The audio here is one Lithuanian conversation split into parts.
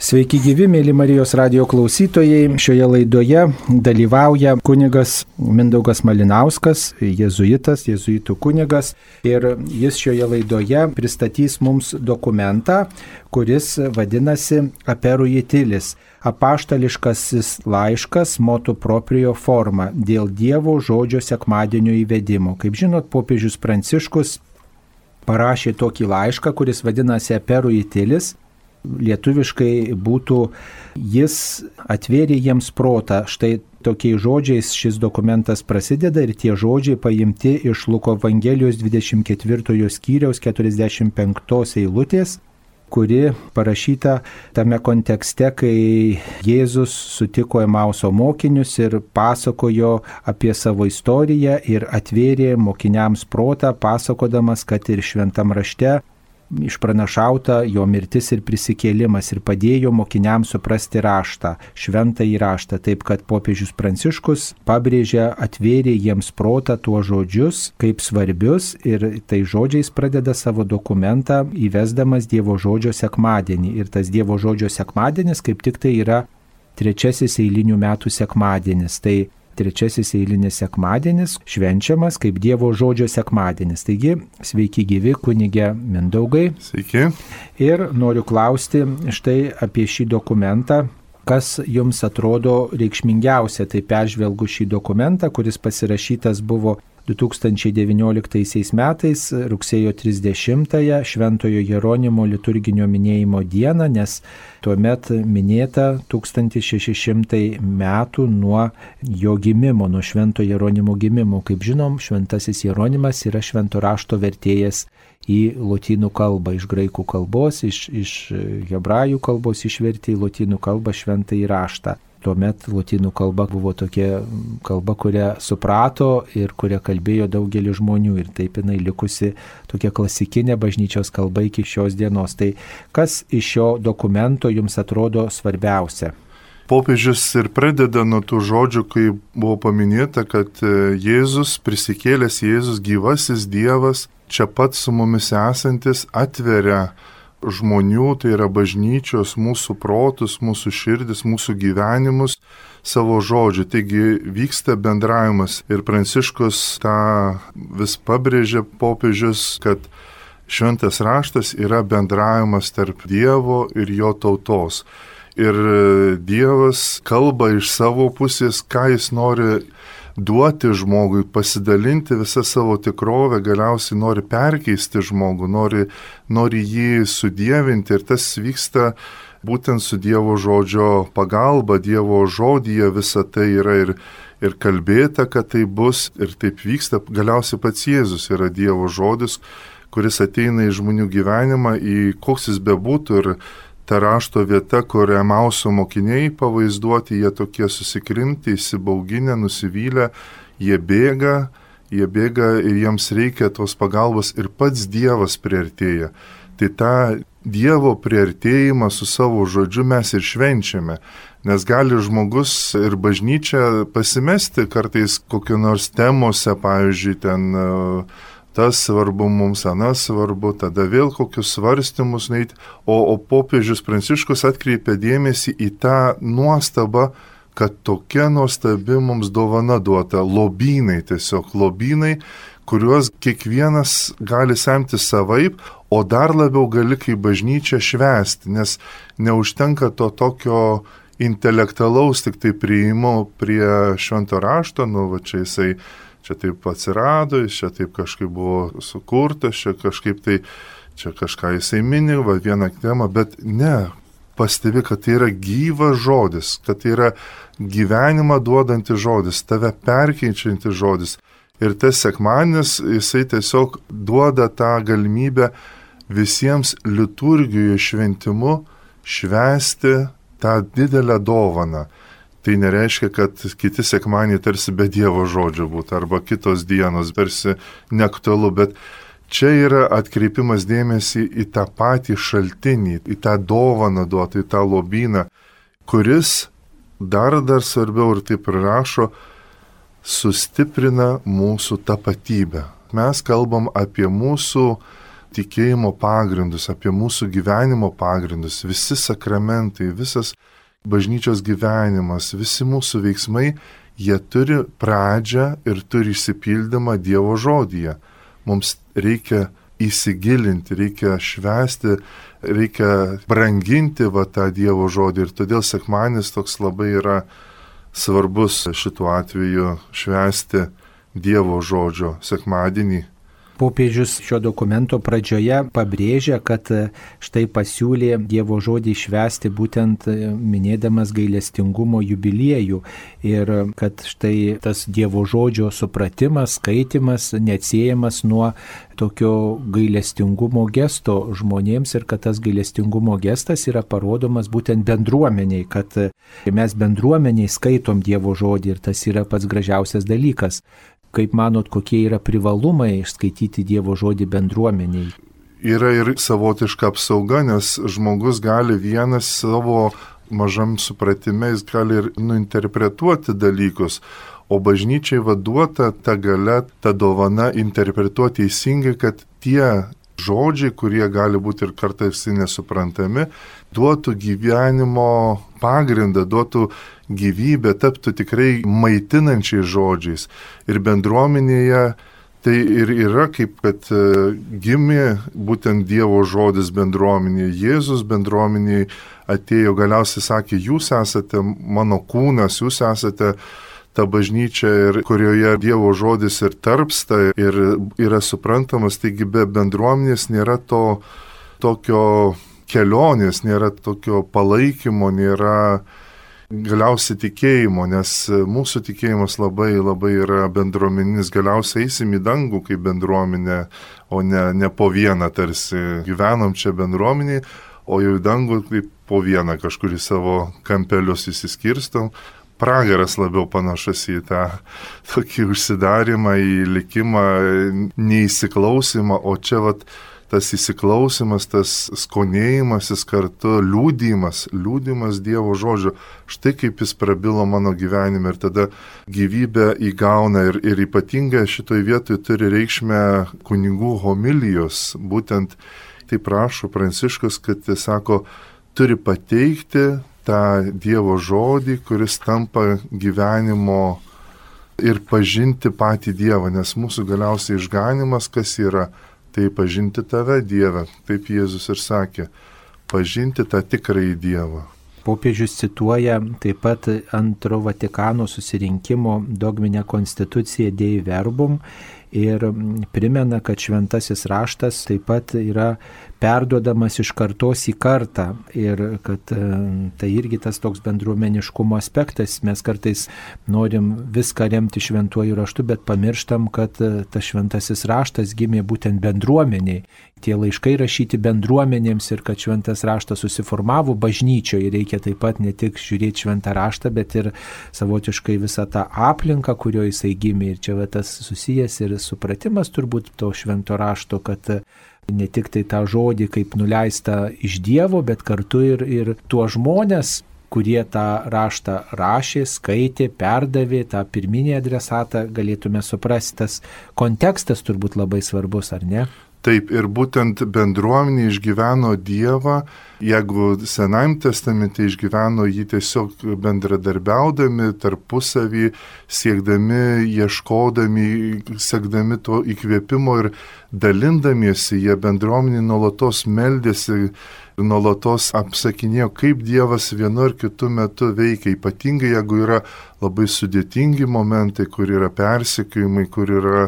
Sveiki gyvi, mėly Marijos radijo klausytojai. Šioje laidoje dalyvauja kunigas Mindaugas Malinauskas, jėzuitų kunigas. Ir jis šioje laidoje pristatys mums dokumentą, kuris vadinasi Aperui Itilis. Apaštališkasis laiškas motu proprio forma dėl Dievo žodžio sekmadienio įvedimo. Kaip žinot, popiežius Pranciškus parašė tokį laišką, kuris vadinasi Aperui Itilis. Lietuviškai būtų jis atvėrė jiems protą. Štai tokiais žodžiais šis dokumentas prasideda ir tie žodžiai paimti iš Luko Evangelijos 24 skyriaus 45 eilutės, kuri parašyta tame kontekste, kai Jėzus sutiko Emauso mokinius ir pasakojo apie savo istoriją ir atvėrė mokiniams protą, pasakodamas, kad ir šventam rašte išpranašauta jo mirtis ir prisikėlimas ir padėjo mokiniams suprasti raštą, šventąjį raštą, taip kad popiežius Pranciškus pabrėžia, atvėrė jiems protą tuos žodžius kaip svarbius ir tai žodžiais pradeda savo dokumentą įvesdamas Dievo žodžio sekmadienį. Ir tas Dievo žodžio sekmadienis kaip tik tai yra trečiasis eilinių metų sekmadienis. Tai trečiasis eilinis sekmadienis švenčiamas kaip Dievo žodžio sekmadienis. Taigi, sveiki gyvi, kunige Mindaugai. Sveiki. Ir noriu klausti štai apie šį dokumentą. Kas jums atrodo reikšmingiausia? Tai peržvelgu šį dokumentą, kuris pasirašytas buvo 2019 metais, rugsėjo 30-ąją, Šventojo Jeronimo liturginio minėjimo dieną, nes tuomet minėta 1600 metų nuo jo gimimo, nuo Švento Jeronimo gimimo. Kaip žinom, Šventasis Jeronimas yra švento rašto vertėjas į lotynų kalbą, iš graikų kalbos, iš hebrajų kalbos išvertė į lotynų kalbą šventąjį raštą. Tuomet lotynų kalba buvo tokia kalba, kurią suprato ir kurią kalbėjo daugelis žmonių ir taip jinai likusi tokia klasikinė bažnyčios kalba iki šios dienos. Tai kas iš šio dokumento jums atrodo svarbiausia? Popiežius ir pradeda nuo tų žodžių, kai buvo paminėta, kad Jėzus, prisikėlęs Jėzus, gyvasis Dievas, čia pat su mumis esantis, atveria žmonių, tai yra bažnyčios, mūsų protus, mūsų širdis, mūsų gyvenimus savo žodžiu. Taigi vyksta bendravimas ir Pranciškus tą vis pabrėžia popiežius, kad šventas raštas yra bendravimas tarp Dievo ir jo tautos. Ir Dievas kalba iš savo pusės, ką jis nori duoti žmogui, pasidalinti visą savo tikrovę, galiausiai nori perkeisti žmogų, nori jį sudievinti ir tas vyksta būtent su Dievo žodžio pagalba. Dievo žodyje visa tai yra ir kalbėta, kad tai bus ir taip vyksta. Galiausiai pats Jėzus yra Dievo žodis, kuris ateina į žmonių gyvenimą, į koks jis bebūtų. Ir ta rašto vieta, kur Emauso mokiniai pavaizduoti, jie tokie susikrimti, įsibauginę, nusivylę, jie bėga ir jiems reikia tos pagalbos ir pats Dievas priartėja. Tai tą Dievo priartėjimą su savo žodžiu mes ir švenčiame, nes gali žmogus ir bažnyčia pasimesti kartais kokio nors temose, pavyzdžiui, ten tas svarbu mums, anas svarbu, tada vėl kokius svarstymus neiti, o popiežius Pranciškus atkreipia dėmesį į tą nuostabą, kad tokia nuostabi mums dovana duota, lobynai, kuriuos kiekvienas gali semti savaip, o dar labiau gali kaip bažnyčia švęsti, nes neužtenka to tokio intelektualaus tik tai priėjimo prie švento rašto, čia taip atsirado, čia taip kažkaip buvo sukurtas, čia kažką jisai mini, vieną temą, bet ne, pastebi, kad tai yra gyvas žodis, kad tai yra gyvenimą duodantis žodis, tave perkeičiantis žodis. Ir tas sekmadienis, jisai tiesiog duoda tą galimybę visiems liturgijoje šventimu švęsti tą didelę dovaną. Tai nereiškia, kad kiti sekmadieniai tarsi be Dievo žodžio būtų, arba kitos dienos tarsi neaktualu, bet čia yra atkreipimas dėmesį į tą patį šaltinį, į tą dovaną duotą, į tą lobyną, kuris dar svarbiau ir taip rašo, sustiprina mūsų tapatybę. Mes kalbam apie mūsų tikėjimo pagrindus, apie mūsų gyvenimo pagrindus, visi sakramentai, visas bažnyčios gyvenimas, visi mūsų veiksmai, jie turi pradžią ir turi išsipildymą Dievo žodyje. Mums reikia įsigilinti, reikia švęsti, reikia branginti tą Dievo žodį ir todėl sekmadienis toks labai yra svarbus šituo atveju švęsti Dievo žodžio sekmadienį. Popiežius šio dokumento pradžioje pabrėžia, kad štai pasiūlė Dievo žodį švęsti būtent minėdamas gailestingumo jubiliejų ir kad štai tas Dievo žodžio supratimas, skaitimas neatsiejamas nuo tokio gailestingumo gesto žmonėms ir kad tas gailestingumo gestas yra parodomas būtent bendruomeniai, kad mes bendruomeniai skaitom Dievo žodį ir tas yra pats gražiausias dalykas. Kaip manot, kokie yra privalumai išskaityti Dievo žodį bendruomeniai? Yra ir savotiška apsauga, nes žmogus gali vienas savo mažam supratime, jis gali ir nuinterpretuoti dalykus, o bažnyčiai vaduota ta galia, ta dovana interpretuoti teisingai, kad tie žodžiai, kurie gali būti ir kartais nesuprantami, duotų gyvenimo pagrindą, duotų gyvybę, taptų tikrai maitinančiais žodžiais. Ir bendruomenėje tai ir yra kaip, kad gimė būtent Dievo žodis bendruomenėje. Jėzus bendruomenėje atėjo, galiausiai sakė, jūs esate mano kūnas, jūs esate ta bažnyčia, ir kurioje Dievo žodis ir tarpsta ir yra suprantamas. Taigi be bendruomenės nėra to tokio kelionės, nėra tokio palaikymo, nėra galiausiai tikėjimo, nes mūsų tikėjimas labai yra bendruomeninis. Galiausiai eisim į dangų kaip bendruomenė, o ne po vieną tarsi gyvenom čia bendruomeniai, o jau į dangų kaip po vieną kažkur į savo kampelius įsiskirstom. Pragaras labiau panašus į tą tokį užsidarimą, į likimą, neįsiklausimą, o čia tas įsiklausimas, tas skonėjimasis kartu, liūdimas Dievo žodžio. Štai kaip jis prabilo mano gyvenime ir tada gyvybę įgauna ir ypatingai šitoj vietoj turi reikšmę kunigų homilijos. Būtent tai prašo Pranciškus, kad jis sako, turi pateikti tą Dievo žodį, kuris tampa gyvenimo ir pažinti patį Dievą, nes mūsų galiausiai išganimas kas yra? Tai pažinti tave, Dieve, taip Jėzus ir sakė, pažinti tą tikrąjį Dievą. Popiežius cituoja taip pat Antro Vatikano susirinkimo dogminę konstituciją Dei Verbum ir primena, kad šventasis raštas taip pat yra perduodamas iš kartos į kartą ir kad tai irgi tas toks bendruomeniškumo aspektas. Mes kartais norim viską remti šventuoju raštu, bet pamirštam, kad tas šventasis raštas gimė būtent bendruomeniai. Tie laiškai rašyti bendruomenėms ir kad šventas raštas susiformavo bažnyčioje. Reikia taip pat ne tik žiūrėti šventą raštą, bet ir savotiškai visą tą aplinką, kurioje jisai gimė. Ir čia tas susijęs ir supratimas turbūt to švento rašto, kad ne tik tai tą žodį kaip nuleista iš Dievo, bet kartu ir tuos žmonės, kurie tą raštą rašė, skaitė, perdavė, tą pirminį adresatą, galėtume suprasti. Tas kontekstas turbūt labai svarbus, ar ne? Taip, ir būtent bendruomenė išgyveno Dievą, jeigu Senajame testamente išgyveno jį tiesiog bendradarbiaudami, tarpusavį, siekdami, ieškodami, sekdami to įkvėpimo ir dalindamiesi, jie bendruomenė nuolatos meldėsi, nuolatos apsakinėjo, kaip Dievas vienu ar kitu metu veikia, ypatingai jeigu yra labai sudėtingi momentai, kur yra persekiojimai, kur yra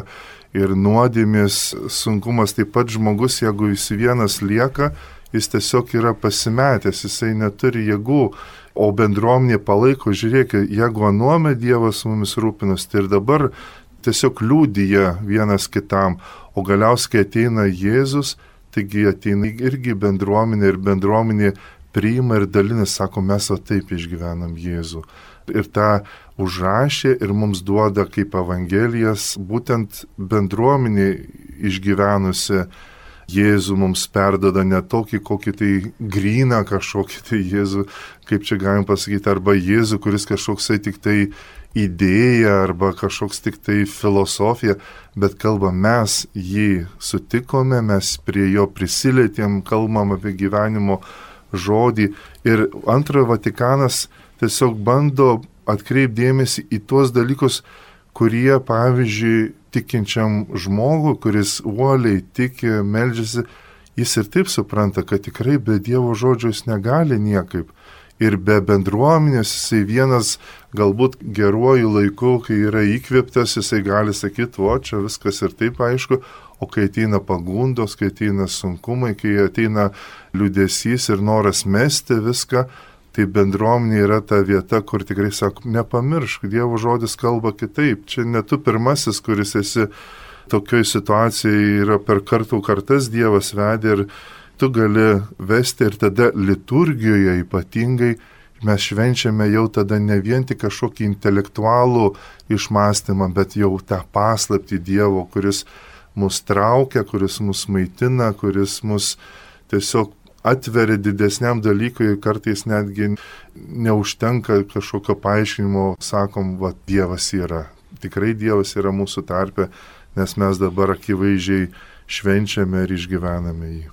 ir nuodėmės sunkumas. Taip pat žmogus, jeigu jis vienas lieka, jis tiesiog yra pasimetęs, jisai neturi jėgų, o bendruomenė palaiko, žiūrėk, jeigu anuome Dievas mumis rūpinas, tai ir dabar tiesiog liūdija vienas kitam, o galiausiai ateina Jėzus, taigi ateina irgi bendruomenė ir bendruomenė priima ir dalinasi, sako, mes taip išgyvenam Jėzų. Ir tą užrašė ir mums duoda kaip evangelijas būtent bendruomenė išgyvenusi Jėzų mums perdoda ne tokį kokį tai gryną kažkokį tai Jėzų, kaip čia galim pasakyti, arba Jėzų, kuris kažkoksai tik tai idėja arba kažkoks tik tai filosofija, bet kalba mes jį sutikome, mes prie jo prisilietėm, kalbam apie gyvenimo žodį. Ir antrojo Vatikanas tiesiog bando atkreipdėmėsi į tuos dalykus, kurie, pavyzdžiui, tikinčiam žmogui, kuris uoliai tiki, meldžiasi, jis ir taip supranta, kad tikrai be Dievo žodžio jis negali niekaip. Ir be bendruomenės jisai vienas galbūt geruoju laiku, kai yra įkvėptas, jisai gali sakyti, o čia viskas ir taip aišku, o kai ateina pagundos, kai ateina sunkumai, kai ateina liūdesys ir noras mesti viską, tai bendruomenė yra ta vieta, kur tikrai sako, nepamiršk, Dievo žodis kalba kitaip. Čia ne tu pirmasis, kuris esi tokioj situacijai, yra per kartų kartas Dievas vedė ir tu gali vesti ir tada liturgijoje ypatingai mes švenčiame jau tada ne vien tik kažkokį intelektualų išmąstymą, bet jau tą paslaptį Dievo, kuris mus traukia, kuris mus maitina, kuris mus tiesiog atveria didesniam dalykui, kartais netgi neužtenka kažkokio paaiškinimo, sakom, va, Dievas yra. Tikrai Dievas yra mūsų tarpe, nes mes dabar akivaizdžiai švenčiame ir išgyvename jį.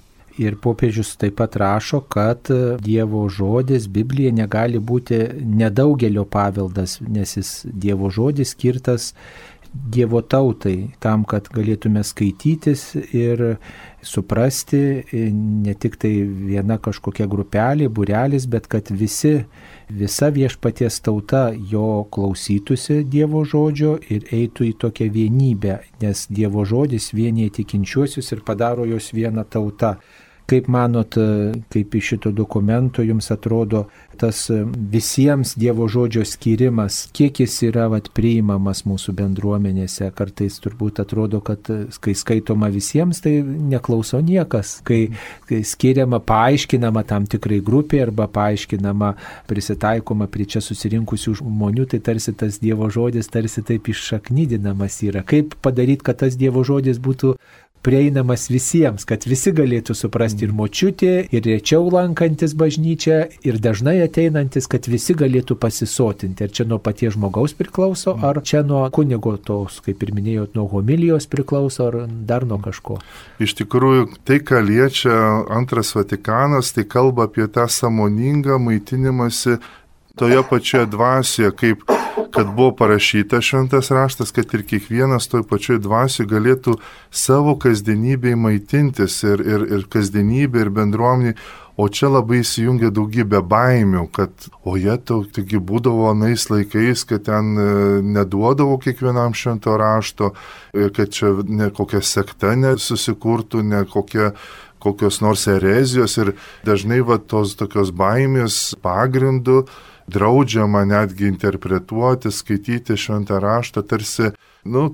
Ir popiežius taip pat rašo, kad Dievo žodis, Biblija negali būti nedaugelio paveldas, nes jis Dievo žodis skirtas Dievo tautai, tam, kad galėtume skaitytis ir suprasti ne tik tai viena kažkokia grupelė, būrelis, bet kad visa viešpaties tauta jo klausytųsi Dievo žodžio ir eitų į tokią vienybę, nes Dievo žodis vienyje tikinčiuosius ir padaro jos vieną tautą. Kaip manot, kaip iš šito dokumento jums atrodo tas visiems Dievo žodžio skirimas, kiek jis yra priimamas mūsų bendruomenėse? Kartais turbūt atrodo, kad kai skaitoma visiems, tai neklauso niekas. Kai skiriama, paaiškinama tam tikrai grupiai arba paaiškinama, prisitaikoma prie čia susirinkusių žmonių, tai tarsi tas Dievo žodis tarsi taip iššaknydinamas yra. Kaip padaryti, kad tas Dievo žodis būtų prieinamas visiems, kad visi galėtų suprasti, ir močiutė, ir rečiau lankantis bažnyčią, ir dažnai ateinantis, kad visi galėtų pasisotinti. Ar čia nuo paties žmogaus priklauso, ar čia nuo kunigo tos, kaip ir minėjot, nuo homilijos priklauso, ar dar nuo kažko? Iš tikrųjų, tai, ką liečia antras Vatikanas, tai kalba apie tą sąmoningą maitinimąsi toje pačioje dvasioje, kaip kad buvo parašyta šventas raštas, kad ir kiekvienas toj pačioj dvasioje galėtų savo kasdienybėje maitintis ir kasdienybė ir bendruomenė, o čia labai įsijungia daugybė baimių, kad taigi būdavo anais laikais, kad ten neduodavo kiekvienam švento rašto, kad čia ne kokia sekta nesusikurtų, ne kokios nors erezijos ir dažnai tos tokios baimės pagrindų draudžiama netgi interpretuoti, skaityti šventą raštą, tarsi,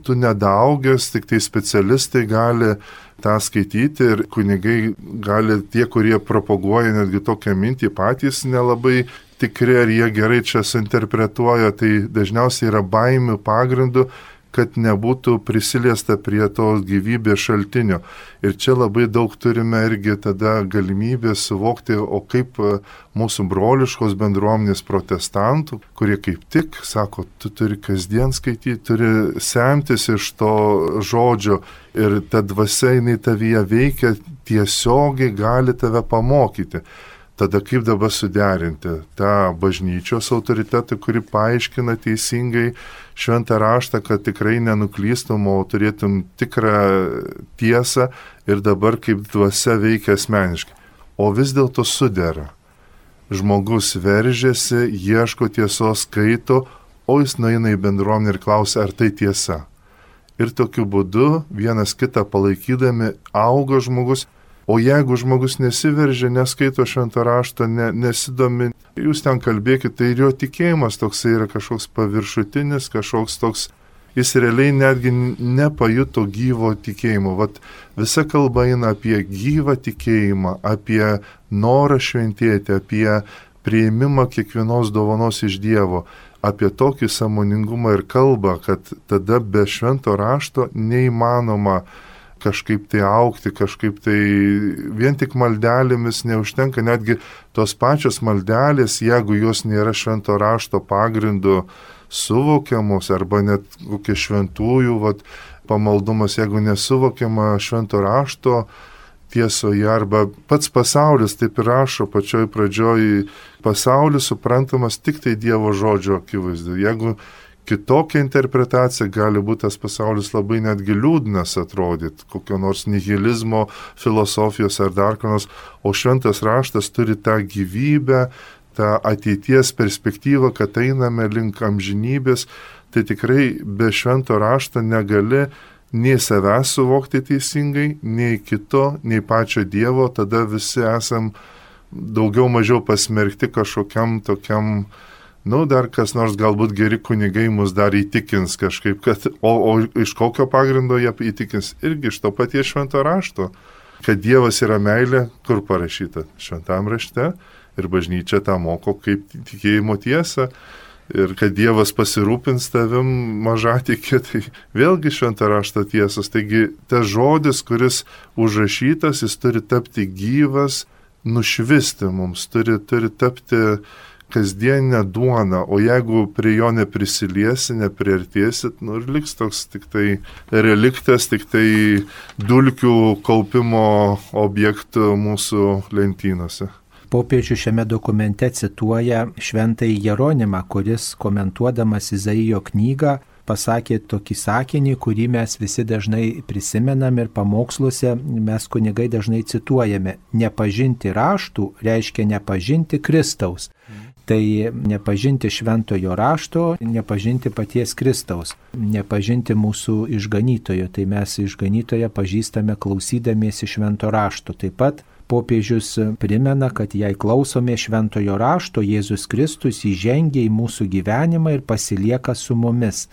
tu nedaugęs, tik tai specialistai gali tą skaityti ir kunigai gali, tie, kurie propaguoja netgi tokią mintį, patys nelabai tikri, ar jie gerai čia suinterpretuoja, tai dažniausiai yra baimių pagrindų, kad nebūtų prisiliesta prie tos gyvybės šaltinio. Ir čia labai daug turime irgi tada galimybę suvokti, o kaip mūsų broliškos bendruomenės protestantų, kurie kaip tik sako, tu turi kasdien skaityti, turi semtis iš to žodžio ir ta dvasia jinai tavyje veikia, tiesiogiai gali tave pamokyti. Tada kaip dabar suderinti tą bažnyčios autoritetą, kuri paaiškina teisingai šventą raštą, kad tikrai nenuklystum, o turėtum tikrą tiesą ir dabar kaip dvasia veikia asmeniškai. O vis dėlto sudera. Žmogus veržiasi, ieško tiesos, skaito, o jis nueina į bendruomenę ir klausia, ar tai tiesa. Ir tokiu būdu vienas kitą palaikydami auga žmogus. O jeigu žmogus nesiveržia, neskaito švento rašto, nesidomi, jūs ten kalbėkite, tai ir jo tikėjimas toksai yra kažkoks paviršutinis, kažkoks toks, jis realiai netgi nepajuto gyvo tikėjimo. Vat visa kalba eina apie gyvą tikėjimą, apie norą šventėti, apie priėmimą kiekvienos dovanos iš Dievo, apie tokį sąmoningumą ir kalbą, kad tada be švento rašto neįmanoma kažkaip tai augti, kažkaip tai vien tik maldelėmis neužtenka, netgi tos pačios maldelės, jeigu jos nėra švento rašto pagrindu suvokiamos, arba net kokie šventųjų pamaldumas, jeigu nesuvokiama švento rašto tiesoje, arba pats pasaulis, taip ir rašo pačioj pradžioj, pasaulis suprantamas tik tai Dievo žodžio akivaizdu. Jeigu kitokia interpretacija, gali būti tas pasaulis labai netgi liūdnas atrodyti, kokio nors nihilizmo, filosofijos ar dar ko nors, o šventas raštas turi tą gyvybę, tą ateities perspektyvą, kad einame link amžinybės, tai tikrai be švento rašto negali nei savęs suvokti teisingai, nei kito, nei pačio Dievo, tada visi esam daugiau mažiau pasmerkti kažkokiam tokiam, dar kas nors galbūt geri kunigai mus dar įtikins kažkaip, kad, o iš kokio pagrindo jie įtikins, irgi iš to paties švento rašto, kad Dievas yra meilė, kur parašyta šventam rašte, ir bažnyčia tą moko kaip tikėjimo tiesą, ir kad Dievas pasirūpins tavim mažatikė, tai vėlgi šventą raštą tiesos. Taigi tas žodis, kuris užrašytas, jis turi tapti gyvas, nušvisti mums, turi tapti kasdieninę duoną, o jeigu prie jo neprisiliesi, nepriartėsit, ir liks toks tik tai reliktas, tik tai dulkių kaupimo objektų mūsų lentynose. Popiežius šiame dokumente cituoja šventąjį Jeronimą, kuris komentuodamas Izaijo knygą pasakė tokį sakinį, kurį mes visi dažnai prisimenam ir pamoksluose mes kunigai dažnai cituojame. Nepažinti raštų reiškia nepažinti Kristaus. Tai nepažinti šventojo rašto, nepažinti paties Kristaus, nepažinti mūsų išganytojo. Tai mes išganytoją pažįstame klausydamiesi švento rašto. Taip pat popiežius primena, kad jei klausome šventojo rašto, Jėzus Kristus įžengia į mūsų gyvenimą ir pasilieka su mumis.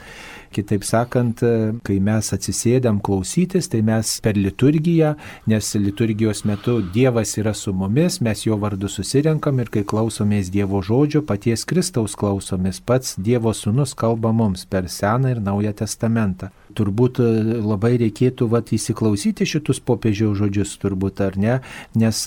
Kitaip sakant, kai mes atsisėdam klausytis, tai mes per liturgiją, nes liturgijos metu Dievas yra su mumis, mes jo vardu susirenkam ir kai klausomės Dievo žodžio, paties Kristaus klausomės, pats Dievo sūnus kalba mums per Seną ir Naują testamentą. Turbūt labai reikėtų įsiklausyti šitus popiežiaus žodžius, turbūt ar ne, nes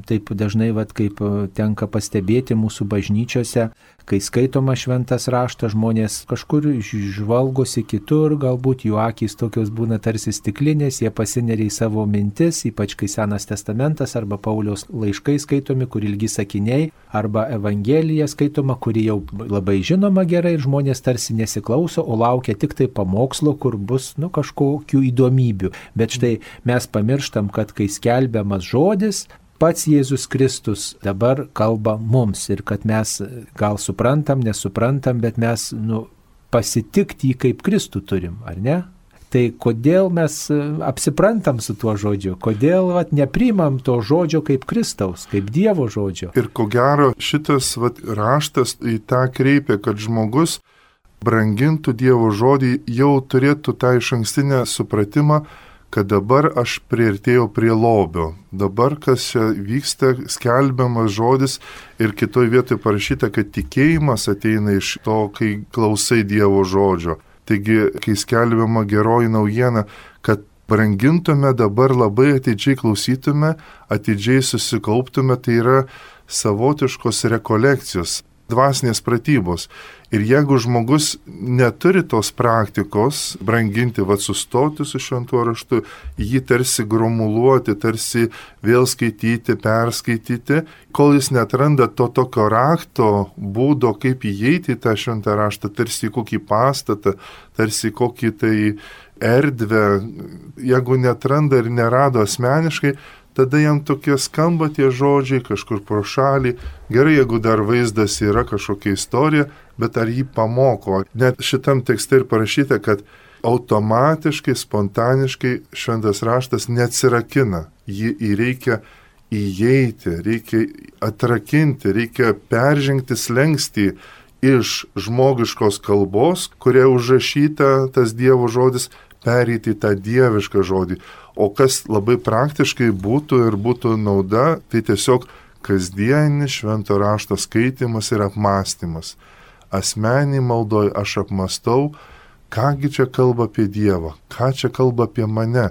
taip dažnai, kaip tenka pastebėti mūsų bažnyčiose, kai skaitoma šventas raštas, žmonės kažkur žvalgosi kitur, galbūt jų akys tokios būna tarsi stiklinės, jie pasineria į savo mintis, ypač kai Senas testamentas arba Pauliaus laiškai skaitomi, kur ilgi sakiniai, arba Evangelija skaitoma, kuri jau labai žinoma gerai ir žmonės tarsi nesiklauso, o laukia tik tai pamokslo, kur bus kažkokių įdomybių. Bet štai mes pamirštam, kad kai skelbiamas žodis, pats Jėzus Kristus dabar kalba mums ir kad mes gal suprantam, nesuprantam, bet mes pasitikti jį kaip Kristų turim, ar ne? Tai kodėl mes apsiprantam su tuo žodžiu, kodėl neprimam to žodžio kaip Kristaus, kaip Dievo žodžio. Ir ko gero šitas raštas į tą kreipia, kad žmogus brangintų Dievo žodį, jau turėtų tą išankstinę supratimą, kad dabar aš priartėjau prie lobio. Dabar, kas čia vyksta, skelbiamas žodis ir kitoj vietoje parašyta, kad tikėjimas ateina iš to, kai klausai Dievo žodžio. Taigi, kai skelbiama geroji naujiena, kad brangintume dabar labai atidžiai klausytume, atidžiai susikauptume, tai yra savotiškos rekolekcijos, dvasinės pratybos. Ir jeigu žmogus neturi tos praktikos branginti, sustoti su šventuoju raštu, jį tarsi gromuluoti, tarsi vėl skaityti, perskaityti, kol jis netranda to tokio rakto būdo, kaip įeiti į tą šventą raštą, tarsi kokį pastatą, tarsi kokį tai erdvę, jeigu netranda ir nerado asmeniškai, tada jam tokie skamba tie žodžiai kažkur pro šalį. Gerai, jeigu dar vaizdas yra kažkokia istorija, bet ar jį pamoko? Net šitam tekste ir parašyta, kad automatiškai, spontaniškai šventas raštas neatsirakina. Jį reikia įeiti, reikia atrakinti, reikia peržengti slenkstį iš žmogiškos kalbos, kuria užrašyta tas Dievo žodis, pereiti į tą dievišką žodį. O kas labai praktiškai būtų nauda, tai tiesiog kasdienis švento rašto skaitimas ir apmąstymas. Asmenį maldoj aš apmastau, kągi čia kalba apie Dievą, ką čia kalba apie mane.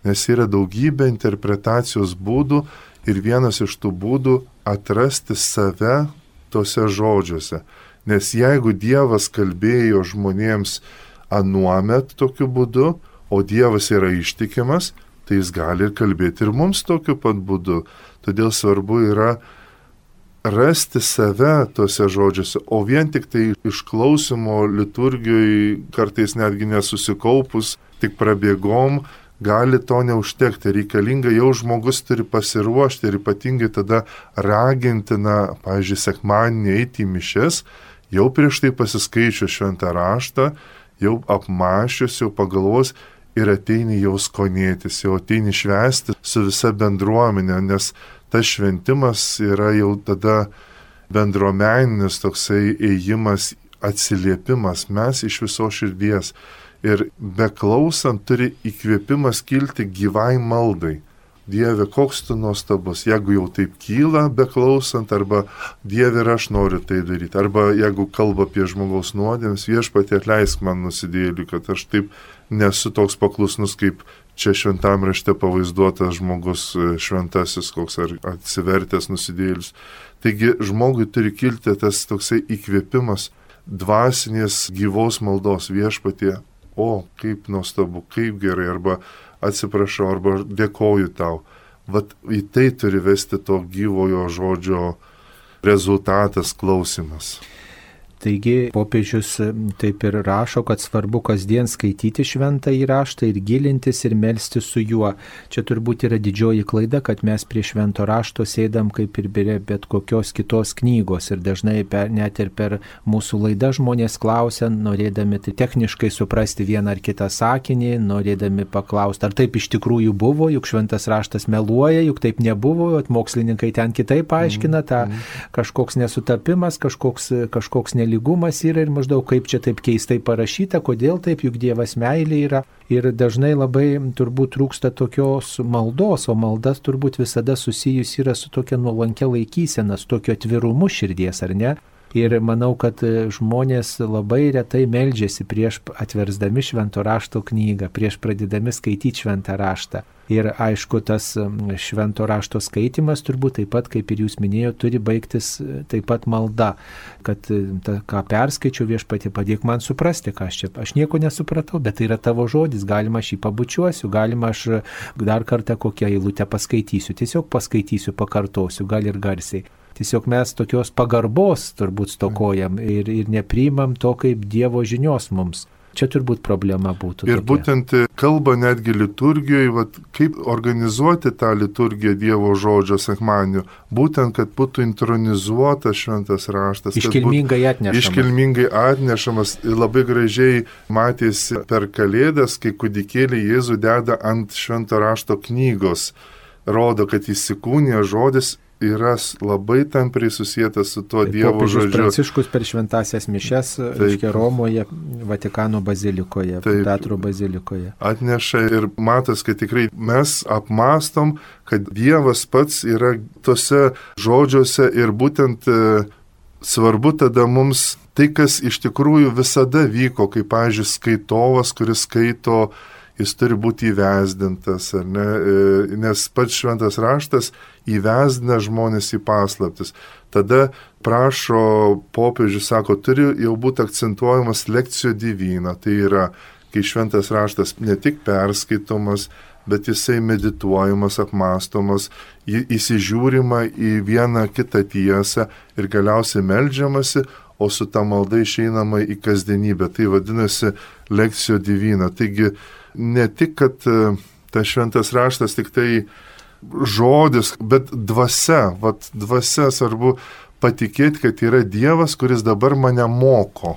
nes yra daugybė interpretacijos būdų ir vienas iš tų būdų atrasti save tose žodžiuose. Nes jeigu Dievas kalbėjo žmonėms anuomet tokiu būdu, o Dievas yra ištikimas, tai jis gali ir kalbėti ir mums tokiu pat būdu. Todėl svarbu yra rasti save tose žodžiuose, o vien tik tai išklausimo liturgijoje kartais netgi nesusikaupus, tik prabėgom, gali to neužtekti. Reikalinga jau žmogus turi pasiruošti ir ypatingai tada ragintina, pavyzdžiui, sekmadienį eiti į mišias, jau prieš tai pasiskaičius šventą raštą, jau apmąsčius, jau pagalvos ir ateini jau skonėtis, jau ateini švęsti su visa bendruomenė, nes tas šventimas yra jau tada bendruomeninis toksai ėjimas, atsiliepimas, mes iš viso širdies. Ir beklausant turi įkvėpimas kilti gyvai maldai. Dieve, koks tu nuostabus, jeigu jau taip kyla beklausant, arba Dieve, ir aš noriu tai daryti, arba jeigu kalba apie žmogaus nuodėmes, Viešpatie atleisk man nusidėjėliui, kad aš taip nesu toks paklusnus, kaip čia šventam rašte pavaizduotas žmogus šventasis, koks ar atsivertęs nusidėjėlis. Taigi žmogui turi kilti tas toksai įkvėpimas dvasinės gyvos maldos. Viešpatie, o kaip nuostabu, kaip gerai, arba atsiprašau, arba dėkoju tau. Vat į tai turi vesti to gyvojo žodžio rezultatas, klausimas. Taigi popiežius taip ir rašo, kad svarbu kasdien skaityti šventąjį raštą ir gilintis ir melstis su juo. Čia turbūt yra didžioji klaida, kad mes prie švento rašto sėdam kaip ir bet kokios kitos knygos. Ir dažnai net ir per mūsų laidą žmonės klausia, norėdami tai techniškai suprasti vieną ar kitą sakinį, norėdami paklausti, ar taip iš tikrųjų buvo, juk šventas raštas meluoja, juk taip nebuvo, mokslininkai ten kitaip aiškina, tą kažkoks nesutapimas, kažkoks lygumas yra ir maždaug kaip čia taip keistai parašyta, kodėl taip, juk Dievas meilė yra. Ir dažnai labai turbūt trūksta tokios maldos, o maldas turbūt visada susijus yra su tokia nuolankia laikysena, su tokiu atvirumu širdies, ar ne? Ir manau, kad žmonės labai retai meldžiasi prieš atversdami švento rašto knygą, prieš pradėdami skaityti šventą raštą. Ir aišku, tas švento rašto skaitimas turbūt taip pat, kaip ir jūs minėjote, turi baigtis taip pat malda, kad ką perskaičiau, Viešpatie, padėk man suprasti, ką aš nieko nesupratau, bet tai yra tavo žodis, galima aš jį pabučiuosiu, galima aš dar kartą kokią eilutę paskaitysiu, tiesiog paskaitysiu, pakartosiu, gal ir garsiai. Tiesiog mes tokios pagarbos turbūt stokojam ir nepriimam to kaip Dievo žinios mums. Čia turbūt problema būtų. Ir tokia. Būtent kalba netgi liturgijoje, kaip organizuoti tą liturgiją Dievo žodžio sekmadienio, būtent, kad būtų intronizuotas šventas raštas. Iškilmingai atnešamas. Iškilmingai atnešamas. Ir labai gražiai matėsi per Kalėdas, kai kūdikėlį Jėzų deda ant švento rašto knygos. Rodo, kad įsikūnija žodis yra labai tampriai susijęs su tuo Dievo žodžiu. Pranciškus per šventasias mišias, reiškia Romoje, Vatikano bazilikoje, Petro bazilikoje. Atneša ir matas, kad tikrai mes apmastom, kad Dievas pats yra tose žodžiuose ir būtent svarbu tada mums tai, kas iš tikrųjų visada vyko, kaip, pavyzdžiui, skaitovas, kuris skaito, jis turi būti įvesdintas, ar ne? Nes pats šventas raštas įvesdina žmonės į paslaptis. Tada prašo popiežius, sako, turi jau būti akcentuojamas lekcijo divina. Tai yra, kai šventas raštas ne tik perskaitomas, bet jisai medituojamas, apmastomas, įsižiūrima į vieną kitą tiesą ir galiausiai meldžiamasi, o su ta malda išeinama į kasdienybę. Tai vadinasi lekcijo divina. Taigi, ne tik, kad tas šventas raštas tik tai žodis, bet dvasia. Vat dvasia svarbu patikėti, kad yra Dievas, kuris dabar mane moko.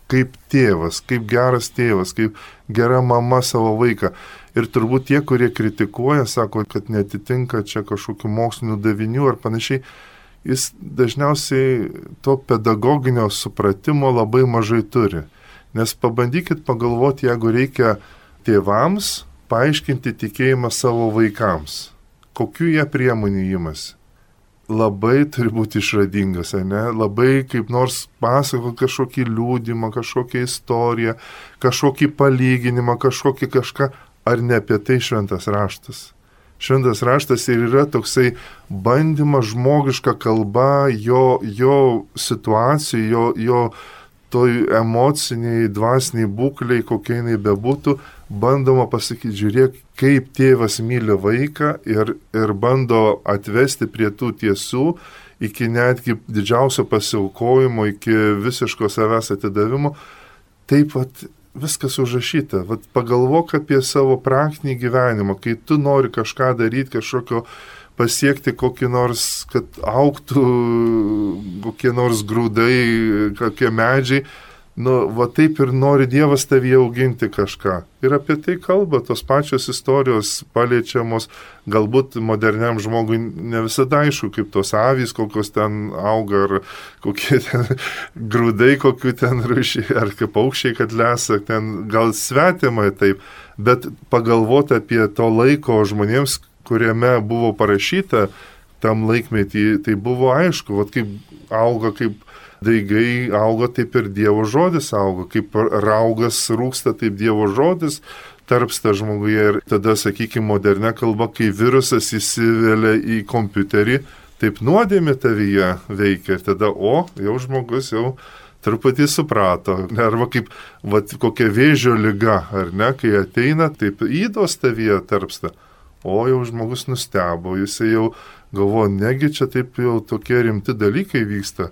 Kaip tėvas, kaip geras tėvas, kaip gera mama savo vaiką. Ir turbūt tie, kurie kritikuoja, sako, kad netitinka čia kažkokių mokslinių davinių ar panašiai, jis dažniausiai to pedagoginio supratimo labai mažai turi. Nes pabandykit pagalvoti, jeigu reikia tėvams paaiškinti tikėjimą savo vaikams. Kokių jie priemonių imasi? Labai turi būti išradingas, ne? Labai kaip nors pasako kažkokį liūdimą, kažkokią istoriją, kažkokį palyginimą, kažką ar ne apie tai šventas raštas? Šventas raštas ir yra toksai bandymas žmogiška kalba, jo situacijų, jo toj emociniai, dvasiniai būkliai, kokie jinai bebūtų, bandoma pasakyti, žiūrėk, kaip tėvas myli vaiką ir bando atvesti prie tų tiesų, iki netgi didžiausio pasiaukojimo, iki visiško savęs atidavimo. Taip pat viskas užrašyta. Vat pagalvok apie savo praktinį gyvenimą, kai tu nori kažką daryti, kažkokio pasiekti kokį nors, kad augtų kokie nors grūdai, kokie medžiai. Va taip ir nori Dievas tavyje auginti kažką. Ir apie tai kalba tos pačios istorijos paliečiamos, galbūt moderniam žmogui ne visada aišku, kaip tos avys, kokios ten auga, ar kokie ten grūdai, kokių ten rūšiai, ar kaip paukščiai, kad lesa, ten gal svetimai taip, bet pagalvoti apie to laiko žmonėms, kuriame buvo parašyta tam laikmetį, tai buvo aišku, vat kaip auga, kaip daigai auga, taip ir Dievo žodis auga, kaip raugas rūksta, taip Dievo žodis tarpsta žmoguje. Ir tada, sakykime, modernia kalba, kai virusas įsivelia į kompiuterį, taip nuodėmė tavyje veikia. Ir tada, jau žmogus jau truputį suprato. Arba kaip kokia vėžio liga, ar ne, kai ateina, taip įdos tavyje tarpsta. Jau žmogus nustebo, jisai jau galvo, negi čia taip jau tokie rimti dalykai vyksta.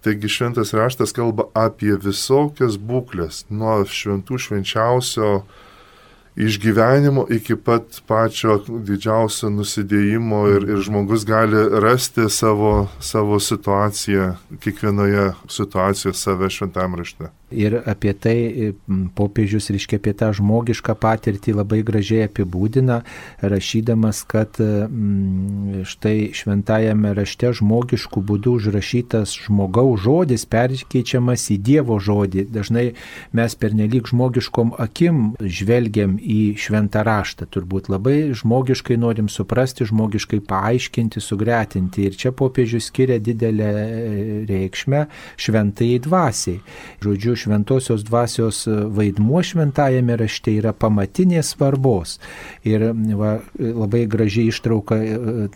Taigi šventas raštas kalba apie visokias būklės, nuo šventų švenčiausio išgyvenimo iki pat pačio didžiausio nusidėjimo ir žmogus gali rasti savo situaciją, kiekvienoje situacijoje save šventam rašte. Ir apie tai popiežius, reiškia, apie tą žmogišką patirtį labai gražiai apibūdina, rašydamas, kad štai šventajame rašte žmogiškų būdų užrašytas žmogaus žodis perkeičiamas į Dievo žodį. Dažnai mes pernelyg žmogiškom akim žvelgiam į šventą raštą. Turbūt labai žmogiškai norim suprasti, žmogiškai paaiškinti, sugretinti. Ir čia popiežius skiria didelę reikšmę šventajai dvasiai. Žodžiu, šventosios dvasios vaidmuo šventajame rašte yra pamatinės svarbos. Ir labai gražiai ištrauka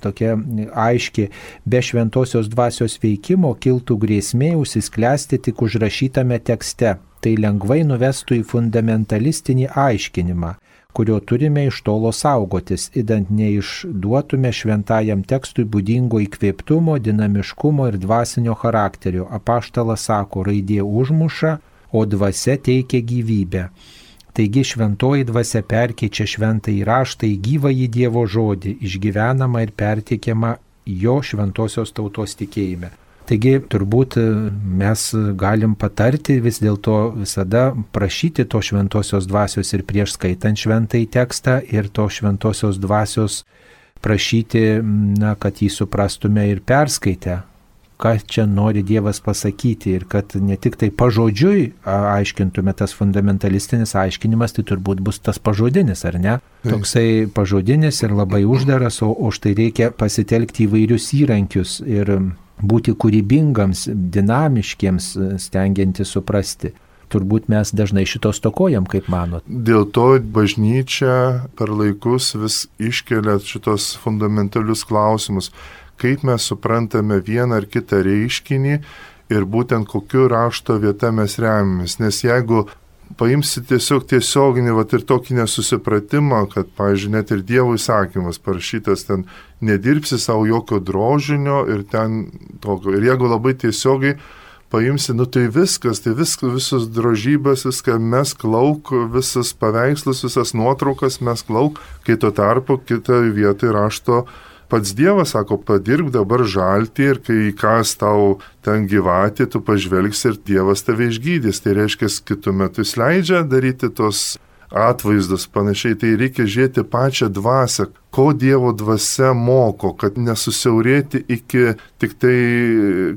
tokia aiški, be šventosios dvasios veikimo kiltų grėsmė užsisklęsti tik užrašytame tekste. Tai lengvai nuvestų į fundamentalistinį aiškinimą, kurio turime iš tolo saugotis, idant neišduotume šventajam tekstui būdingo įkvėptumo, dinamiškumo ir dvasinio charakterio. Apaštalas sako, raidė užmuša, o dvasia teikia gyvybę. Taigi šventoji dvasia perkeičia šventąjį raštą į gyvąjį Dievo žodį, išgyvenamą ir perteikiamą jo šventosios tautos tikėjime. Taigi turbūt mes galim patarti vis dėlto visada prašyti to šventosios dvasios ir prieš skaitant šventąjį tekstą ir to šventosios dvasios prašyti, kad jį suprastume ir perskaitę, ką čia nori Dievas pasakyti ir kad ne tik tai pažodžiui aiškintume tas fundamentalistinis aiškinimas, tai turbūt bus tas pažodinis, ar ne? Toksai pažodinis ir labai uždaras, o štai reikia pasitelkti įvairius įrankius ir būti kūrybingams, dinamiškiems, stengiantis suprasti. Turbūt mes dažnai šito stokojam, kaip manot. Dėl to bažnyčia per laikus vis iškelia šitos fundamentalius klausimus, kaip mes suprantame vieną ar kitą reiškinį ir būtent kokiu rašto vieta mes remiamės. Nes jeigu paimsi tiesioginį ir tokį nesusipratimą, kad, pavyzdžiui, net ir Dievo įsakymas parašytas ten, nedirbsi savo jokio drožinio ir ten tokio. Ir jeigu labai tiesiogiai paimsi, tai viskas, visus drožybės, viską mes klauk, visas paveikslus, visas nuotraukas mes klauk, kai tuo tarpu kitoje vietoje rašto pats Dievas sako, padirb dabar žaltį ir kai įkas tau ten gyvatį, tu pažvelgsi ir Dievas tave išgydys. Tai reiškia, kitu metu jis leidžia daryti tos atvaizdus panašiai. Tai reikia žiūrėti pačią dvasią, ko Dievo dvasia moko, kad nesusiaurėti iki tik tai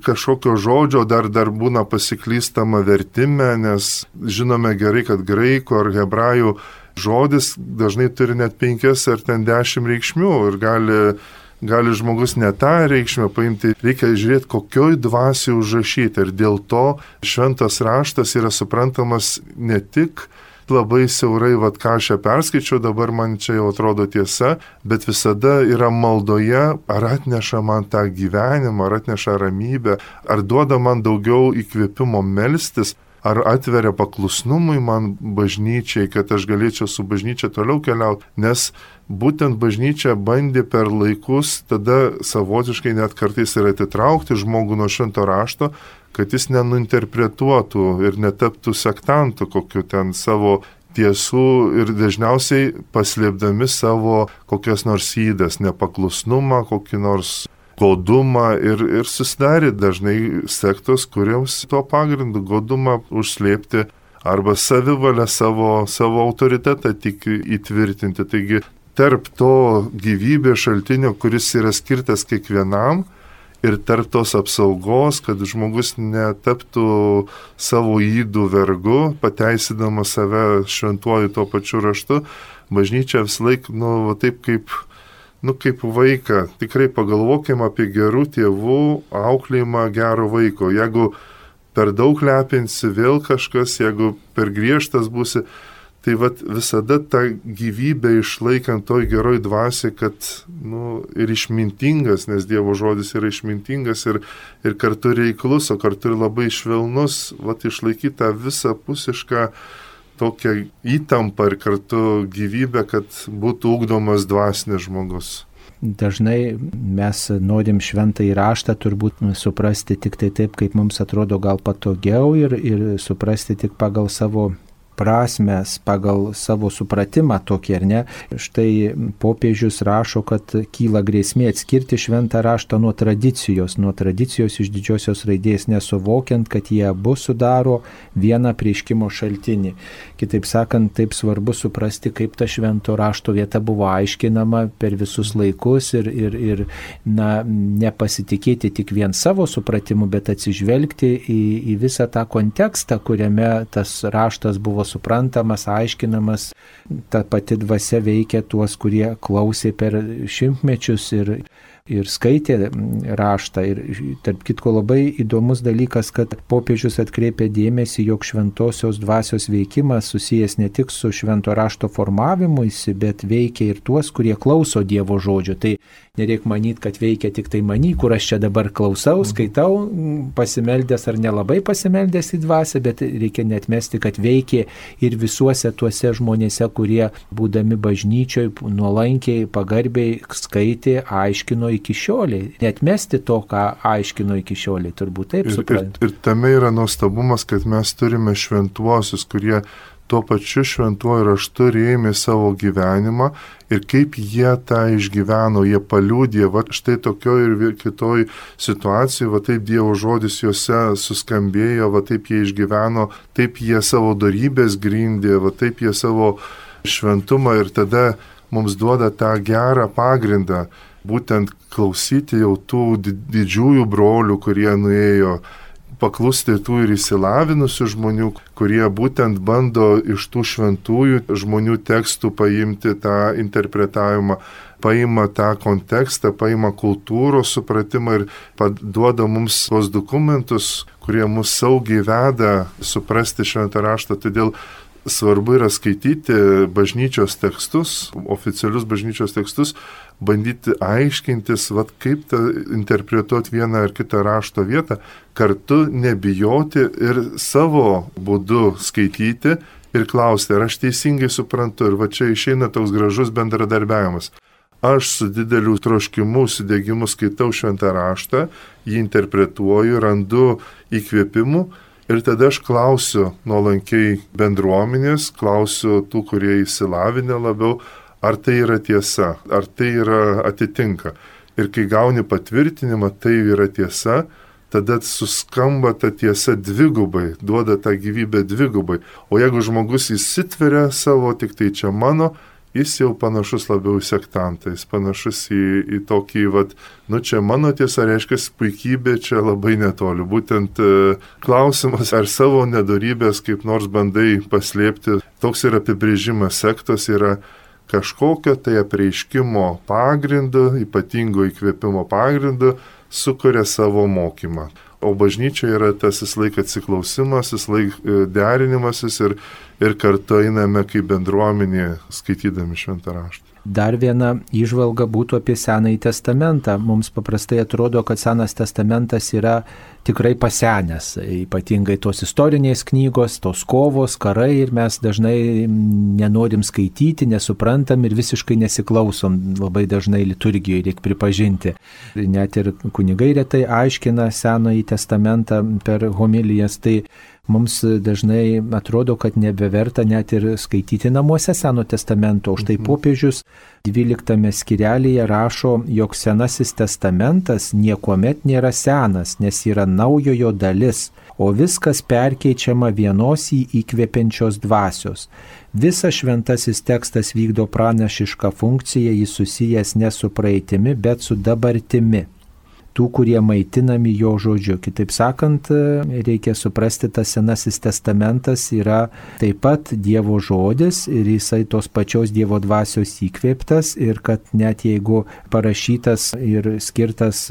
kažkokio žodžio, dar būna pasiklystama vertime, nes žinome gerai, kad graikų ar hebrajų žodis dažnai turi net 5 ar 10 reikšmių ir gali žmogus ne tą reikšmę paimti. Reikia žiūrėti, kokioj dvasiai užrašyti. Ir dėl to šventas raštas yra suprantamas ne tik labai siaurai, ką aš čia perskaičiau, dabar man čia jau atrodo tiesa, bet visada yra maldoje, ar atneša man tą gyvenimą, ar atneša ramybę, ar duoda man daugiau įkvėpimo melstis, ar atveria paklusnumui man bažnyčiai, kad aš galėčiau su bažnyčia toliau keliauti, nes būtent bažnyčia bandė per laikus tada savotiškai net kartais ir atitraukti žmogų nuo švento rašto, kad jis nenuinterpretuotų ir netaptų sektantų kokiu ten savo tiesų ir dažniausiai paslėpdami savo kokias nors ydas, nepaklusnumą, kokį nors godumą ir susidarė dažnai sektos, kuriems tuo pagrindu godumą užslėpti arba savivalę savo autoritetą tik įtvirtinti. Taigi tarp to gyvybės šaltinio, kuris yra skirtas kiekvienam, ir tarp tos apsaugos, kad žmogus netaptų savo ydų vergu, pateisydamas save šventuoju tuo pačiu raštu, bažnyčia vis laik, taip kaip vaiką. Tikrai pagalvokim apie gerų tėvų auklėjimą gero vaiko. Jeigu per daug lepinsi vėl kažkas, jeigu per griežtas būsi, tai visada tą gyvybę išlaikant toj geroj dvasiai, kad ir išmintingas, nes Dievo žodis yra išmintingas ir kartu reiklus, o kartu ir labai švelnus, išlaikyti tą visapusišką tokią įtampą ir kartu gyvybę, kad būtų ugdomas dvasinis žmogus. Dažnai mes norim šventąjį raštą turbūt suprasti tik tai taip, kaip mums atrodo gal patogiau ir suprasti tik pagal savo prasmes, pagal savo supratimą tokį, ar ne? Štai popiežius rašo, kad kyla grėsmė atskirti šventą raštą nuo tradicijos iš didžiosios raidės, nesuvokiant, kad jie abu sudaro vieną apreiškimo šaltinį. Kitaip sakant, taip svarbu suprasti, kaip ta švento rašto vieta buvo aiškinama per visus laikus ir nepasitikėti tik vien savo supratimu, bet atsižvelgti į visą tą kontekstą, kuriame tas raštas buvo suprantamas, aiškinamas, ta pati dvasia veikia tuos, kurie klausė per šimtmečius ir skaitė raštą. Ir tarp kitko labai įdomus dalykas, kad popiežius atkreipė dėmesį, jog šventosios dvasios veikimas susijęs ne tik su švento rašto formavimuisi, bet veikia ir tuos, kurie klauso Dievo žodžio. Tai nereik manyti, kad veikia tik tai many, kur aš čia dabar klausau, skaitau, pasimeldęs ar nelabai pasimeldęs į dvasią, bet reikia netmesti, kad veikia ir visuose tuose žmonėse, kurie būdami bažnyčioj nuolankiai, pagarbiai skaitė, aiškino iki šioliai. Netmesti to, ką aiškino iki šioliai, turbūt taip suprantu. Ir tame yra nuostabumas, kad mes turime šventuosius, kurie tuo pačiu šventuoju raštu rėmė savo gyvenimą ir kaip jie tą išgyveno, jie paliudė, štai tokioj ir kitoj situacijoj, taip Dievo žodis juose suskambėjo, taip jie išgyveno, taip jie savo dorybės grindė, taip jie savo šventumą ir tada mums duoda tą gerą pagrindą, būtent klausyti jau tų didžiųjų brolių, kurie nuėjo, paklusti tų ir išsilavinusių žmonių, kurie būtent bando iš tų šventųjų žmonių tekstų paimti tą interpretavimą, paima tą kontekstą, paima kultūros supratimą ir duoda mums tos dokumentus, kurie mus saugiai veda suprasti šventą raštą. Todėl svarbu yra skaityti bažnyčios tekstus, oficialius bažnyčios tekstus, bandyti aiškintis, kaip interpretuoti vieną ar kitą rašto vietą, kartu nebijoti ir savo būdu skaityti ir klausti, ar aš teisingai suprantu. Ir čia išeina toks gražus bendradarbiavimas. Aš su dideliu troškimu, sudėgimu skaitau šventą raštą, jį interpretuoju, randu įkvėpimų. Ir tada aš klausiu nuolankiai bendruomenės, klausiu tų, kurie įsilavinę labiau, ar tai yra tiesa, ar tai yra atitinka. Ir kai gauni patvirtinimą, tai yra tiesa, tada suskamba ta tiesa dvigubai, duoda tą gyvybę dvigubai. O jeigu žmogus įsitveria savo, tik tai čia mano, jis jau panašus labiau į sektantą, jis panašus į tokį, čia mano tiesa, reiškia, puikybė čia labai netoli. Būtent klausimas, ar savo nedorybės kaip nors bandai paslėpti, toks yra apibrėžimas sektos, yra kažkokio tai apreiškimo pagrindu, ypatingo įkvėpimo pagrindu, sukuria savo mokymą. O bažnyčia yra tas laik atsiklausimas, laik derinimasis ir kartu einame kaip bendruomenė skaitydami šventą raštą. Dar viena įžvalga būtų apie Senąjį testamentą. Mums paprastai atrodo, kad Senas testamentas yra tikrai pasenęs, ypatingai tos istorinės knygos, tos kovos, karai, ir mes dažnai nenorim skaityti, nesuprantam ir visiškai nesiklausom labai dažnai liturgijoje, reikia pripažinti. Net ir kunigai retai aiškina Senąjį testamentą per homilijas, tai mums dažnai atrodo, kad nebeverta net ir skaityti namuose Seno testamento. Už tai popiežius 12 skirelyje rašo, jog Senasis testamentas niekuomet nėra senas, nes yra naujojo dalis, o viskas perkeičiama vienos jį įkvepiančios dvasios. Visas šventasis tekstas vykdo pranašišką funkciją, jis susijęs ne su praeitimi, bet su dabartimi tų, kurie maitinami jo žodžiu. Kitaip sakant, reikia suprasti, tas Senasis testamentas yra taip pat Dievo žodis ir jisai tos pačios Dievo dvasios įkvėptas, ir kad net jeigu parašytas ir skirtas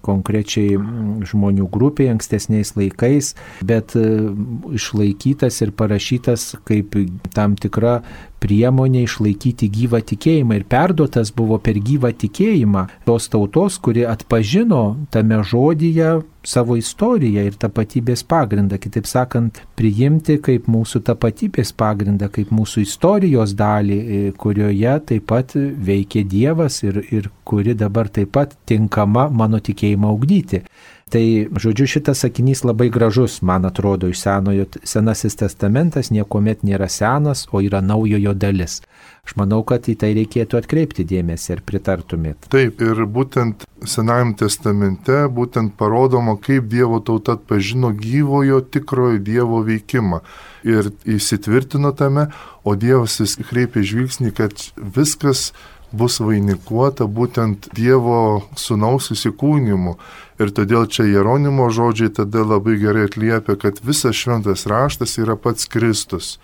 konkrečiai žmonių grupiai ankstesniais laikais, bet išlaikytas ir parašytas kaip tam tikra priemonė išlaikyti gyvą tikėjimą ir perduotas buvo per gyvą tikėjimą tos tautos, kuri atpažino tame žodyje savo istoriją ir tapatybės pagrindą. Kitaip sakant, priimti kaip mūsų tapatybės pagrindą, kaip mūsų istorijos dalį, kurioje taip pat veikia Dievas ir kuri dabar taip pat tinkama mano tikėjimą ugdyti. Tai, žodžiu, šitas sakinys labai gražus, man atrodo, iš Senojo. Senasis testamentas niekuomet nėra senas, o yra naujojo dalis. Aš manau, kad į tai reikėtų atkreipti dėmesį ir pritartumėt. Taip, ir būtent Senajam testamente būtent parodoma, kaip Dievo tauta atpažino gyvojo tikrojo Dievo veikimą ir įsitvirtino tame, o Dievas vis kreipia žvilgsnį, kad viskas bus vainikuota būtent Dievo sūnaus įsikūnimu. Ir todėl čia Jeronimo žodžiai tada labai gerai atliepia, kad visas šventas raštas yra pats Kristus.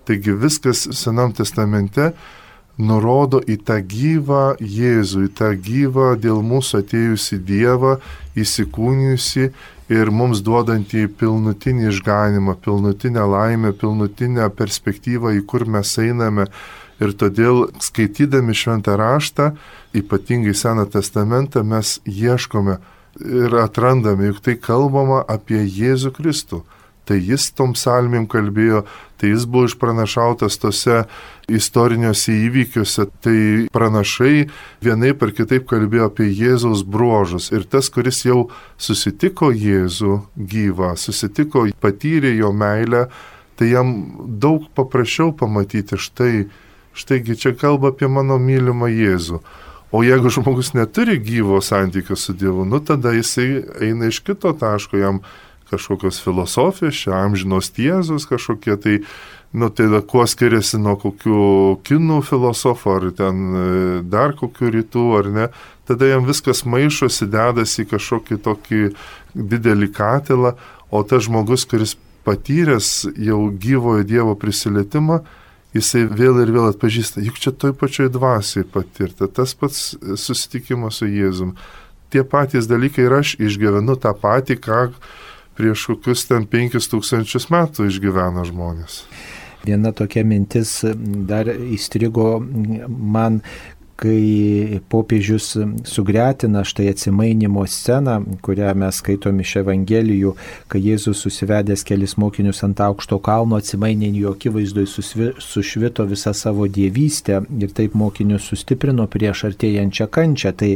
Taigi viskas Senam testamente nurodo į tą gyvą Jėzų, į tą gyvą dėl mūsų atėjusi Dievą, įsikūnijusi ir mums duodantį pilnutinį išganimą, pilnutinę laimę, pilnutinę perspektyvą, į kur mes einame. Ir todėl, skaitydami šventą raštą, ypatingai Seną testamentą, mes ieškome ir atrandame, juk tai kalbama apie Jėzų Kristų. Tai jis tom psalmėm kalbėjo, tai jis buvo išpranašautas tose istoriniuose įvykiuose, tai pranašai vienaip ar kitaip kalbėjo apie Jėzaus bruožus. Ir tas, kuris jau susitiko Jėzų gyvą, susitiko, patyrė jo meilę, tai jam daug paprasčiau pamatyti štaigi čia kalba apie mano mylimą Jėzų. O jeigu žmogus neturi gyvo santykio su Dievu, tada jisai eina iš kito taško, jam kažkokios filosofijos, čia amžinos tiesos kažkokie, tai kuo skiriasi nuo kokių kinų filosofų, ar ten dar kokių rytų, ar ne, tada jam viskas maišosi, dedasi į kažkokį tokį didelį katilą, o tas žmogus, kuris patyręs jau gyvojo Dievo prisilietimą, jisai vėl ir vėl atpažįsta, juk čia toj pačioj dvasiai patirta, tas pats susitikimas su Jėzum. Tie patys dalykai ir aš išgyvenu tą patį, ką prieš kokius ten 5000 metų išgyvena žmonės. Viena tokia mintis dar įstrigo man, kai popiežius sugretina štai atsimainimo sceną, kurią mes skaitom iš Evangelijų, kai Jėzus susivedęs kelis mokinius ant aukšto kalno atsimainė jų akivaizdoje sušvito visą savo dievystę ir taip mokinius sustiprino prieš artėjančią kančią. Tai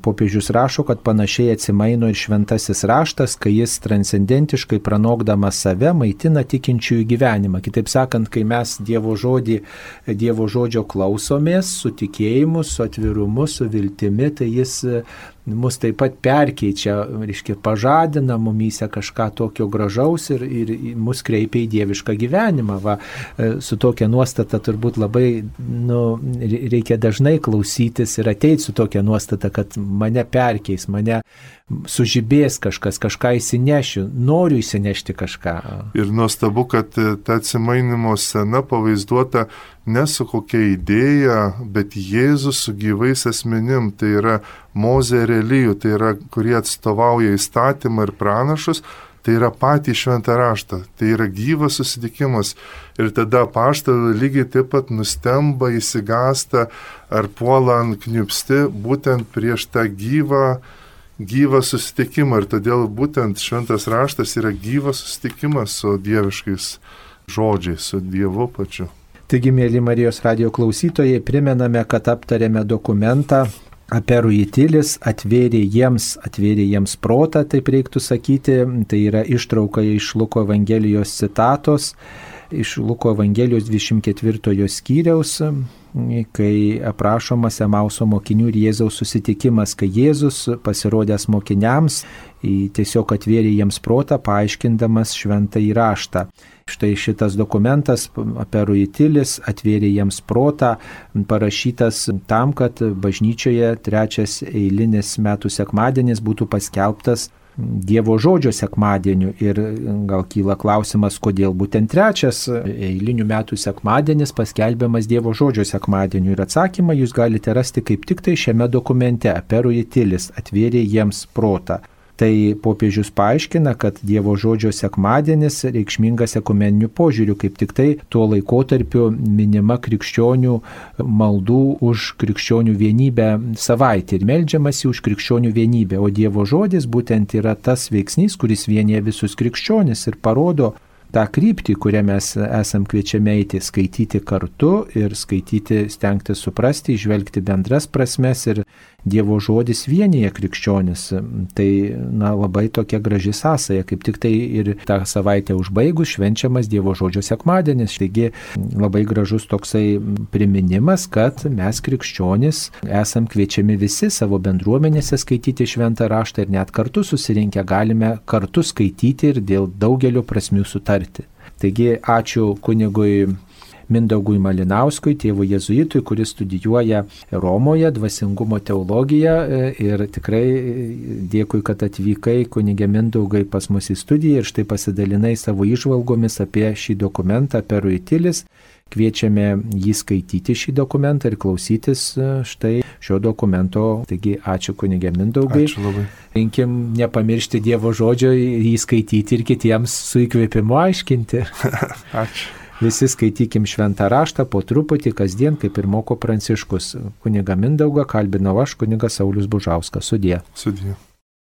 popiežius rašo, kad panašiai atsimaino ir šventasis raštas, kai jis transcendentiškai pranokdamas save maitina tikinčiųjų gyvenimą. Kitaip sakant, kai mes Dievo žodžio klausomės, su tikėjimu, su atvirumu, su viltimi, tai jis mus taip pat perkeičia, pažadina mumyse kažką tokio gražaus ir mus kreipia į dievišką gyvenimą. Su tokia nuostata turbūt labai reikia dažnai klausytis ir ateiti su tokia nuostata, kad mane perkeis, mane sužibės kažką įsinešiu, noriu įsinešti kažką. Ir nuostabu, kad ta atsimainimo scena pavaizduota ne su kokia idėja, bet Jėzus su gyvais asmenim, tai yra Mozė ir Elijų, tai yra, kurie atstovauja įstatymą ir pranašus, tai yra patį šventą raštą, tai yra gyvas susitikimas. Ir tada apaštalai lygiai taip pat nustemba, įsigasta ar puola ant kniupsti būtent prieš tą gyvą susitikimą. Ir todėl būtent šventas raštas yra gyvas susitikimas su dieviškais žodžiais, su Dievu pačiu. Taigi, mėly Marijos radijo klausytojai, primename, kad aptarėme dokumentą Aperuitilis, atvėrė jiems protą, taip reiktų sakyti. Tai yra ištrauka iš Luko Evangelijos citatos, iš Luko Evangelijos 24 skyriaus, kai aprašomas Emauso mokinių ir Jėzaus susitikimas, kai Jėzus pasirodęs mokiniams tiesiog atvėrė jiems protą, paaiškindamas šventąjį raštą. Štai šitas dokumentas Aperuitilis, atvėrė jiems protą, parašytas tam, kad bažnyčioje trečias eilinis metų sekmadienis būtų paskelbtas Dievo žodžio sekmadieniu. Ir gal kyla klausimas, kodėl būtent trečias eilinių metų sekmadienis paskelbiamas Dievo žodžio sekmadieniu. Ir atsakymą jūs galite rasti kaip tik tai šiame dokumente Aperuitilis, atvėrė jiems protą. Tai popiežius paaiškina, kad Dievo žodžio sekmadienis reikšmingas ekumeniniu požiūriu, kaip tik tai tuo laikotarpiu minima krikščionių maldų už krikščionių vienybę savaitė ir meldžiamasi už krikščionių vienybę. O Dievo žodis būtent yra tas veiksnys, kuris vienyje visus krikščionis ir parodo tą kryptį, kurią mes esam kviečiami eiti, skaityti kartu ir skaityti, stengti suprasti, žvelgti bendras prasmes ir Dievo žodis vienyje krikščionis. Tai labai tokia graži sąsaja, kaip tik tai ir tą savaitę užbaigus švenčiamas Dievo žodžio sekmadienis. Taigi labai gražus toksai priminimas, kad mes krikščionis esam kviečiami visi savo bendruomenėse skaityti šventą raštą ir net kartu susirinkę galime kartu skaityti ir dėl daugelio prasmių sutarti. Taigi ačiū kunigui Mindaugui Malinauskui, tėvui jėzuitui, kuris studijuoja Romoje dvasingumo teologiją, ir tikrai dėkui, kad atvykai, kunige Mindaugai, pas mus į studiją ir štai pasidalinai savo įžvalgomis apie šį dokumentą Aperuitilis. Kviečiame jį skaityti šį dokumentą ir klausytis štai šio dokumento. Taigi ačiū kunige Mindaugai. Ačiū labai. Linkim nepamiršti Dievo žodžio, jį skaityti ir kitiems su įkvėpimu aiškinti. Ačiū. Visi skaitykim šventą raštą po truputį kasdien, kaip ir moko Pranciškus. Kunigą Mindaugą kalbinau aš, kunigas Saulius Bužauskas. Sudie. Sudie.